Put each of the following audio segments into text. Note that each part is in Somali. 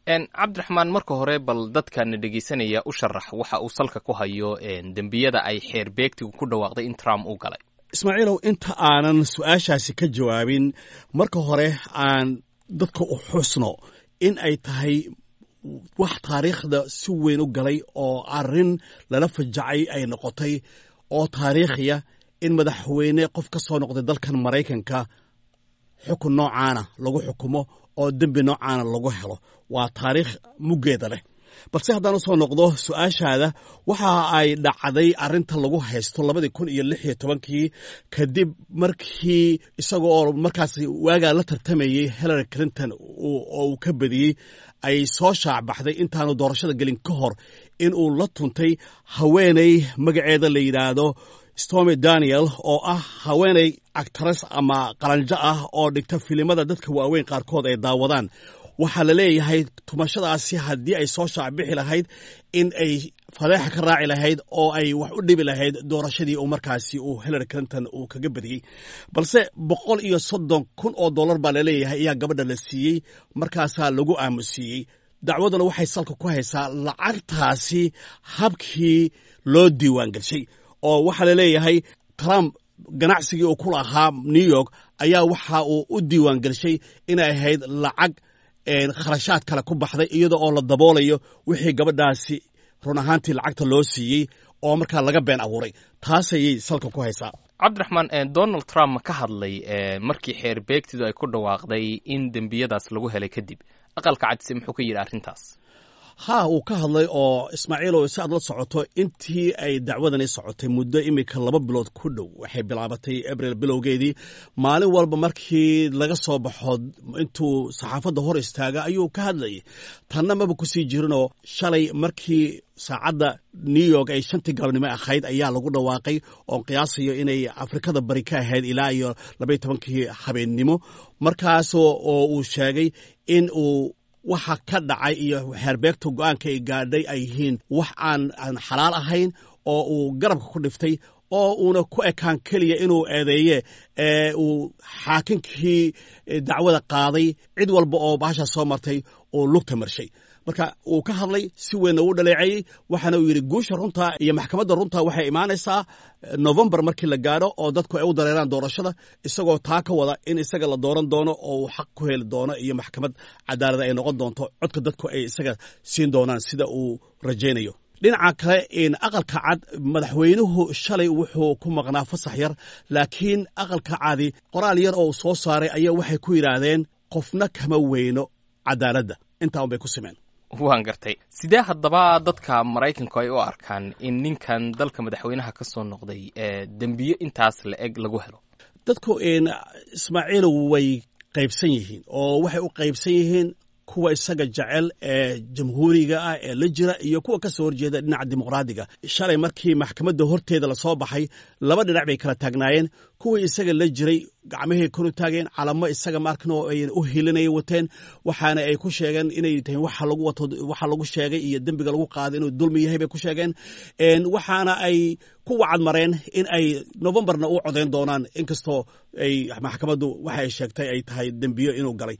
Cabdiraxmaan, marka hore bal dadkana dhegeysanaya u sharax waxa uu salka ku hayo dembiyada ay xeer beegtigu ku dhawaaqday in Trump uu galay. Ismaaciilow, inta aanan su-aashaasi ka jawaabin, marka hore aan dadka u xusno in ay tahay wax taariikhda si weyn u galay oo arrin lala fajacay ay noqotay oo taariikhiya in madaxweyne qof ka soo noqday dalkan Maraykanka xukun noocaana lagu xukumo oo dembi noocaana lagu helo. Waa taariikh muggeeda leh. Balse haddaan u soo noqdo su-aashaada, waxa ay dhacday arrinta lagu haysto 2016-kii, kadib markii isaga oo markaas waagaa la tartamayey Hillary Clinton oo uu ka badiyey, ay soo shaacbaxday intaanu doorashada gelin ka hor in uu la tuntay haweeney magaceeda la yidhaahdo Stormy Daniel, oo ah haweeney actress ama qalanjo ah oo dhigta filimada dadka waaweyn qaarkood ay daawadaan. Waxaa la leeyahay tumashadaasi haddii ay soo shaacbixi lahayd, in ay fadeexa ka raaci lahayd oo ay wax u dhibi lahayd doorashadii uu markaasi uu Hillary Clinton uu kaga badiyey. Balse $130,000 baa laleeyahay ayaa gabadha la siiyey, markaasaa lagu aamusiiyey. Dacwaduna waxay salka ku haysaa lacagtaasi habkii loo diiwaan gelshay, oo waxaa la leeyahay Trump ganacsigii uu ku lahaa New York ayaa waxa uu u diiwaan gelshay inay ahayd lacag kharashaad kale ku baxday, iyada oo la daboolayo wixii gabadhaasi run ahaantii lacagta loo siiyey oo markaa laga been abuuray. Taas ayay salka ku haysaa. Cabdiraxmaan, Donald Trump ma ka hadlay markii xeer beegtidu ay ku dhawaaqday in dembiyadaas lagu helay kadib? Aqalka Cadse muxuu ka yidhi arrintaas? Haa, uu ka hadlay. Oo Ismaaciilow, si aad la socoto, intii ay dacwadani socotay muddo iminka 2 bilood ku dhow, waxay bilaabatay Abril bilowgeedii, maalin walba markii laga soo baxo intuu saxaafadda hor istaaga ayuu ka hadlayay. Tanna maba kusii jirinoo shalay markii saacadda New York ay 5-tii galabnimo ahayd ayaa lagu dhawaaqay, oon qiyaasayo inay Afrikada Bari ka ahayd ilaa iyo 12-kii habeennimo, markaasoo oo uu sheegay in uu waxa ka dhacay iyo xeerbeegta go-aanka ay gaadhay ay yihiin wax aan xalaal ahayn, oo uu garabka ku dhiftay, oo uuna ku ekaan keliya inuu eedeeye ee uu xaakinkii dacwada qaaday, cid walba oo baashaa soo martay oo lugta marshay. Marka uu ka hadlay, si weynna uu dhaleeceeyey, waxaana uu yidhi guusha runta iyo maxkamadda runta waxay imaanaysaa Novembar markii la gaadho oo dadku ay u dareeraan doorashada, isagoo taa ka wada in isaga la dooran doono oo uu xaq ku heli doono iyo maxkamad cadaalada ay noqon doonto codka dadku ay isaga siin doonaan, sida uu rajaynayo. Dhinaca kale, Aqalka Cad, madaxweynuhu shalay wuxuu ku maqnaa fasax yar, laakiin Aqalka Cadi qoraal yar oo soo saaray ayaa waxay ku yidhaahdeen qofna kama weyno cadaaladda. Intaa un bay ku simeen. Waan gartay. Sidee haddaba dadka Maraykanku ay u arkaan in ninkan dalka madaxweynaha ka soo noqday dembiyo intaas la eg lagu helo? Dadku, Ismaaciilow, way qaybsan yihiin, oo waxay u qaybsan yihiin kuwa isaga jecel ee Jamhuuriga ah ee la jira iyo kuwa ka soo horjeeda dhinaca Dimuqraadiga. Shalay markii maxkamadda horteeda lasoo baxay, laba dhinac bay kala taagnaayeen. Kuwii isaga la jiray gacmahay kor u taageen, calamo isaga maarkan oo ay u hilinaya wateen, waxaana ay ku sheegeen inay tahay waxa lagu wato, waxa lagu sheegay iyo dembiga lagu qaaday inuu dulmi yahay bay ku sheegeen. Waxaana ay ku wacad mareen in ay Novembarna u codayn doonaan, inkastoo ay maxkamaddu waxa ay sheegtay ay tahay dembiyo inuu galay.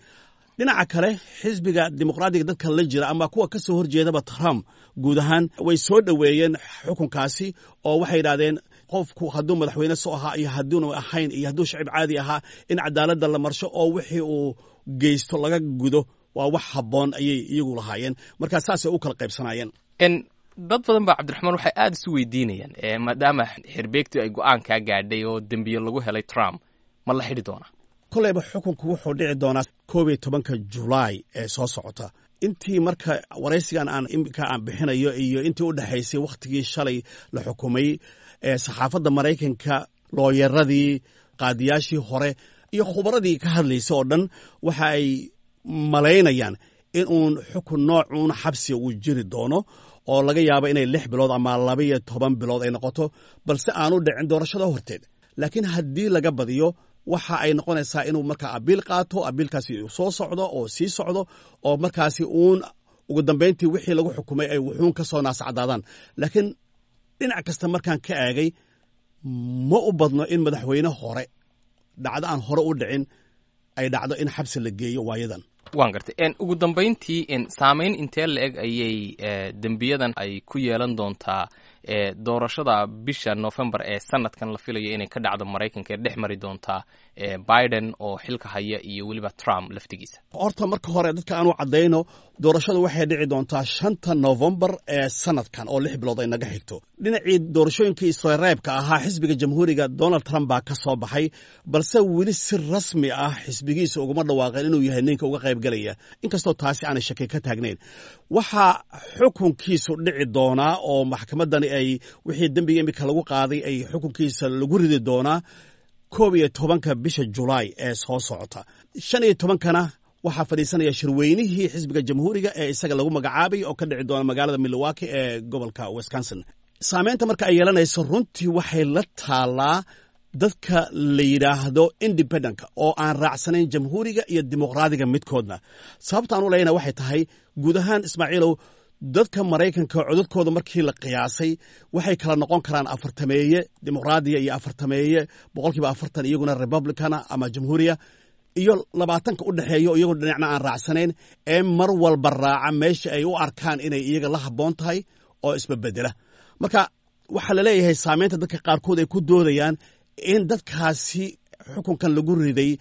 Dhinaca kale, xisbiga Dimuqraadiga dadka la jira ama kuwa ka soo horjeedaba Trump guud ahaan way soo dhoweeyeen xukunkaasi, oo waxay yidhahdeen qofku hadduu madaxweyne soo ahaa iyo hadduunu ahayn iyo hadduu shacib caadi ahaa, in cadaaladda la marsho oo wixii uu geysto laga gudo waa wax habboon ayay iyagu lahaayeen. Marka saasay u kala qaybsanaayeen. Dad badan baa, Cabdiraxmaan, waxay aada isu weydiinayaan, maadaama xerbeegtu ay go-aan kaa gaadhay oo dembiyo lagu helay Trump, ma la xidhi doonaa? Koleyba xukunku wuxuu dhici doonaa 11-ka Julaay ee soo socota. Intii marka waraysigan aan iminka aan bixinayo iyo intii u dhexaysay wakhtigii shalay la xukumay, ee saxaafadda Maraykanka, looyaradii, qaadiyaashii hore iyo khubaradii ka hadlaysa oo dhan waxa ay malaynayaan in uun xukun noocuun xabsiga uu jiri doono, oo laga yaabo inay 6 bilood ama 12 bilood ay noqoto, balse aanu dhicin doorashada horteed. Laakiin haddii laga badiyo, waxa ay noqonaysaa inuu markaa abiil qaato, abiilkaasi uu soo socdo oo sii socdo, oo markaasi uun ugu dambayntii wixii lagu xukumay ay wuxuun ka soo naascadaadaan. Laakiin dhinac kasta markaan ka eegay, ma u badno in madaxweyne hore dhacdo aan hore u dhicin ay dhacdo in xabsi la geeyo waayadan. Waan gartay. Ugu dambayntii, saameyn intee la eg ayay dembiyadan ay ku yeelan doontaa doorashada bisha November ee sanadkan la filayo inay ka dhacdo Maraykanka, ee dhex mari doontaa Biden oo xilka haya iyo weliba Trump laftigiisa? Horta marka hore dadka aanu caddayno, doorashadu waxay dhici doontaa 5ta Novembar ee sanadkan, oo 6 bilood ay naga xigto. Dhinacii doorashooyinkii isreebka ahaa, xisbiga Jamhuuriga Donald Trump baa ka soo baxay, balse weli si rasmi ah xisbigiisa uguma dhawaaqeen inuu yahay ninka uga qaybgalaya, inkastoo taasi aanay shaki ka taagnayn. Waxaa xukunkiisu dhici doonaa oo maxkamaddani ay wixii dembiga imika lagu qaaday ay xukunkiisa lagu ridi doonaa 11ka bisha Julaay ee soo socota. 15-kana waxaa fadhiisanaya shirweynihii xisbiga Jamhuuriga ee isaga lagu magacaabay, oo ka dhici doona magaalada Milwaukee ee gobolka Wisconsin. Saameynta marka ay yeelanayso runtii waxay la taalaa dadka la yidhaahdo independentka oo aan raacsanayn Jamhuuriga iyo Dimuqraadiga midkoodna. Sababta aan u leyna waxay tahay, guud ahaan, Ismaaciilow, dadka Maraykanka codadkooda markii la qiyaasay waxay kala noqon karaan afartameeye Dimuqraadiya iyo afartameeye, 40% iyaguna Republicana ama Jamhuuriya, iyo 20-ka u dhexeeyo iyagoo dhinacna aan raacsanayn ee mar walba raaca meesha ay u arkaan inay iyaga la habboon tahay oo isbabedela. Marka waxaa la leeyahay saameynta dadka qaarkood ay ku doodayaan in dadkaasi xukunkan lagu riday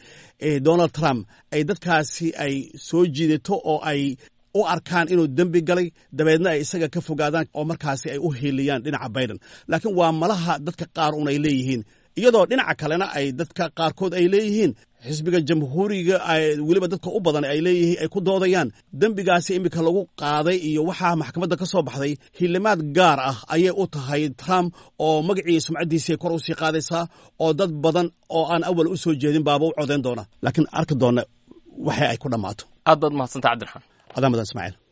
Donald Trump ay dadkaasi ay soo jiidato oo ay u arkaan inuu dembi galay, dabeedna ay isaga ka fogaadaan oo markaasi ay u hiiliyaan dhinaca Biden. Laakiin waa malaha dadka qaar un ay leeyihiin, iyadoo dhinaca kalena ay dadka qaarkood ay leeyihiin xisbiga Jamhuuriga, weliba dadka u badan ay leeyihiin, ay ku doodayaan dembigaasi iminka lagu qaaday iyo waxaa maxkamadda ka soo baxday hilimaad gaar ah ayay u tahay Trump, oo magacii sumcaddiisii kor u sii qaadaysaa, oo dad badan oo aan awal u soo jeedin baaba u codayn doona. Laakiin arki doona waxa ay ku dhammaato. Aad baad mahadsanta, Cabdiraxmaan. Adaa mudan, Ismaaciil.